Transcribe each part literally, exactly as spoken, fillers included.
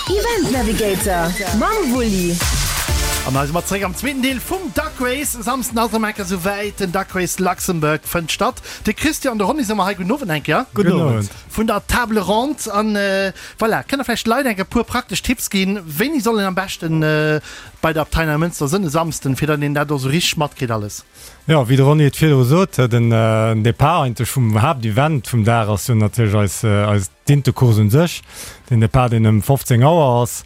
Event Navigator mam Wulli. An hei si mer zeréck am zweeten Deel vum Duck Race. E Samsden ass erëm eng Kéier souwäit, den Duck Race Luxembourg fënnt statt. De Christian an de Ronny si mer hei. Gudden Owend eng Kéier. Gudden Owend. Vun der Table Ronde. An voilà, kënnt der vläicht de Leit eng Kéier e puer praktesch Tipps ginn, wéini soll een am beschten bei der Abtei Neimënster sënn e Samsden, fir datt een dat och esou richteg matkritt alles? Jo, wéi de Ronny et virdru sot, den Depart eigentlech vum Haaptevent vum Dag ass jo natierlech eis eis d'Intecourse un sech. Den Depart, deen ëm fofzéng Auer ass.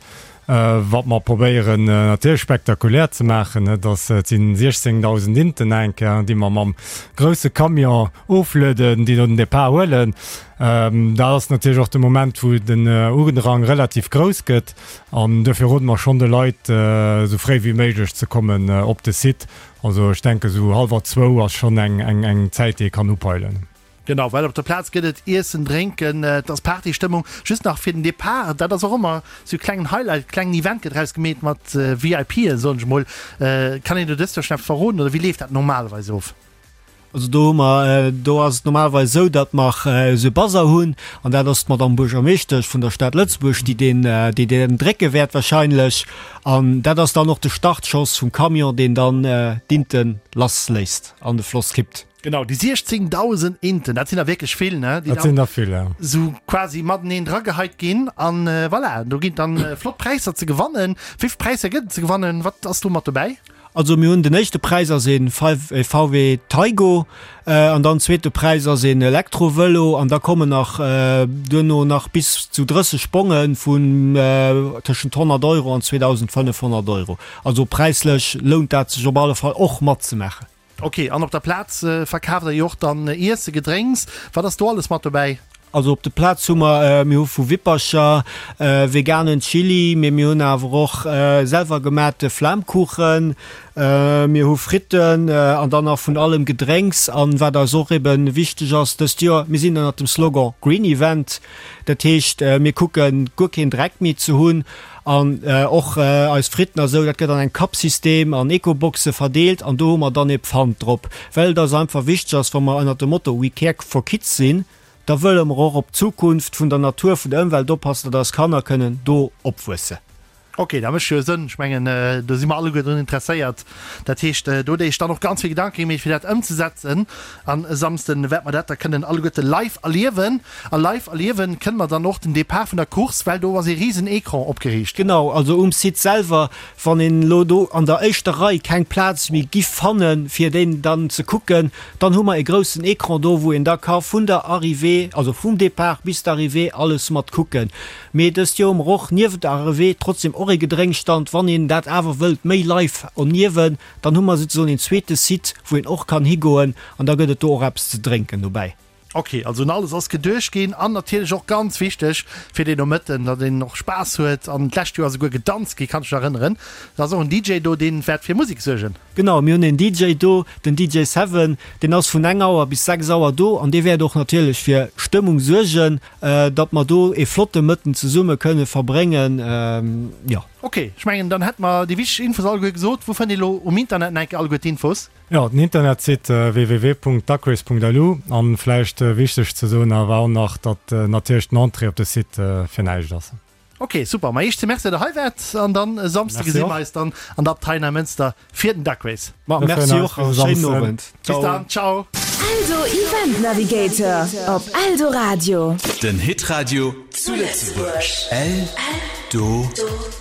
Wat mer probéieren natierlech spektakulär ze maachen, et ass, et sinn siechzéngdausend Inten enke, déi mer mam grousse Camion oflueden, déi do den Depart huelen. Dat ass natierlech och de Moment, wou den Udrang relativ grouss gëtt. An duerfir rode mer schonn de Leit, esou fréi wéi méiglech ze kommen op de Site. Also ech denke sou hallwer zwou ass schonn eng eng Zäit, déi ee kann upeilen. Genau, well op der Plaz gëtt et Iessen, Drénken, et ass Partystëmmung. Just nach fir den Depart, dat ass och ëmmer sou e klengen Highlight, klengen Event gëtt draus gemeet mat VIPen, soen ech mol. Kann een do dëst Joer schonn eppes verroden oder wéi leeft dat normalerweis of? Also do hu mer, do ass et normalerweis esou, datt mer esou e Bazar hunn an dat ass d'Madame Buergermeeschtesch vun der Stad Lëtzebuerg, déi deen, déi deen drécke wäert wahrscheinlech. An dat ass dann och de Startschoss vum Camion, deen dann d'Inten lassléisst an de Floss kippt. Genau, déi siechzéngdausend Inten, dat sinn der wierklech vill, ne? Déi Dat sinn der vill, ja. Esou quasi mateneen drageheit ginn an voilà, do ginn dann flott Präisser ze gewannen. Wéi vill Präisser gëtt et ze gewannen? Wat ass do mat dobäi? Also mir hunn den éischte Präis ass ee V W Taigo an dann zweete Präis ass een Elektrovëlo an da kommen nach duerno nach bis zu drësseg Bonge vun tëschent honnert Euro an zweedausendfënnefhonnert Euro. Also präislech lount dat sech op alle Fall och matzemaachen. Ok, an op der Plaz verkaaft der jo och dann Iesse, Gedrénks. Wat ass do alles mat dobäi? Also op de Plaz hu mer, mir hu vu Wippercher veganen Chili, mee mir hunn awer och selwer gemaachte Flamkuchen, mir hu Fritten an dann nach vun allem Gedrénks. An wat eis och eben wichteg ass dëst Joer, mir sinn ënnert dem Slogan Green Event, dat heescht mir kucken guer keen Dreck méi ze hunn an och eis Fritten a sou, dat gëtt an engem Cup-System an Ecoboxe verdeelt an do hu mer dann ee Pfand drop, well et eis einfach wichteg ass, wa mer ënnert dem Motto We care for kids sinn, da wëlle mer och op d'Zukunft vun der Natur, vun der Ëmwelt oppassen, datt eis Kanner kënnen do opwuessen. Ok, dat mécht jo Sënn. Ech mengen, do si mer alleguer drun interesséiert. Dat heescht, do hutt Dir Iech dann och ganz vill Gedanke gemeet, fir dat ëmzesetzen. An e Samsden wäerte mer dat da kënnen alleguerte live erliewen. A live erliewen kënne mer dann och den Depart vun der Course, well do ass ee risen Ecran opgeriicht. Genau, also um Site selwer, wann een elo do an der éischter Rei keng Plaz méi giff fannen, fir deen dann ze kucken, dann hu mer e groussen Ecran do, wou een da ka vun der Arrivée, also vum Depart bis d'Arrivée alles mat kucken. Mee dëst Joer hu mer och niewent der Arrivée trotzdem och e Gedrénkstand, wann een dat awer wëllt méi live erniewen, dann hu mer souzesoen een zweete Site, wou een och kann higoen an da gëtt et do och eppes ze drénken dobäi. Ok, also un alles ass geduecht ginn an natierlech och ganz wichteg fir deen Nomëtten, datt een och Spaass huet an d'lescht Joer ass esouguer gedanzt ginn, kann ech mech erënneren. Da ass och en D J do, deen wäert fir Musek suergen. Genau, mir hunn een D J do, den D J Seven, deen ass vun eng Auer bis sechs Auer do an dee wäert och natierlech fir Stëmmung suergen, datt mer do ee flotte Mëtten zesumme kënne verbréngen, jo. Ok, ech mengen dann hätte mer déi wichteg Infos alleguer gesot. Wou fënnt ee lo um Internet nach eng Kéier alleguer d'Infos? Jo, den Internetsite w w w Punkt duckrace Punkt l u an vläicht wichteg ze soen awer och nach, datt natierlech den Entrée op de Site fir näischt ass. Ok, super. Ma Iech ze Merci, datt der hei waart an dann e Samsde Merci gesi och. mer eis dann an der Abtei Neimënster fir den Duck Race. Ma Mir merci freeën och eis. a Bis schéinen Samsden. Owend. Bis Ciao. dann, ciao. Eldo Event Navigator op Eldoradio. Den Hitradio zu Lëtzebuerg. Eldoradio.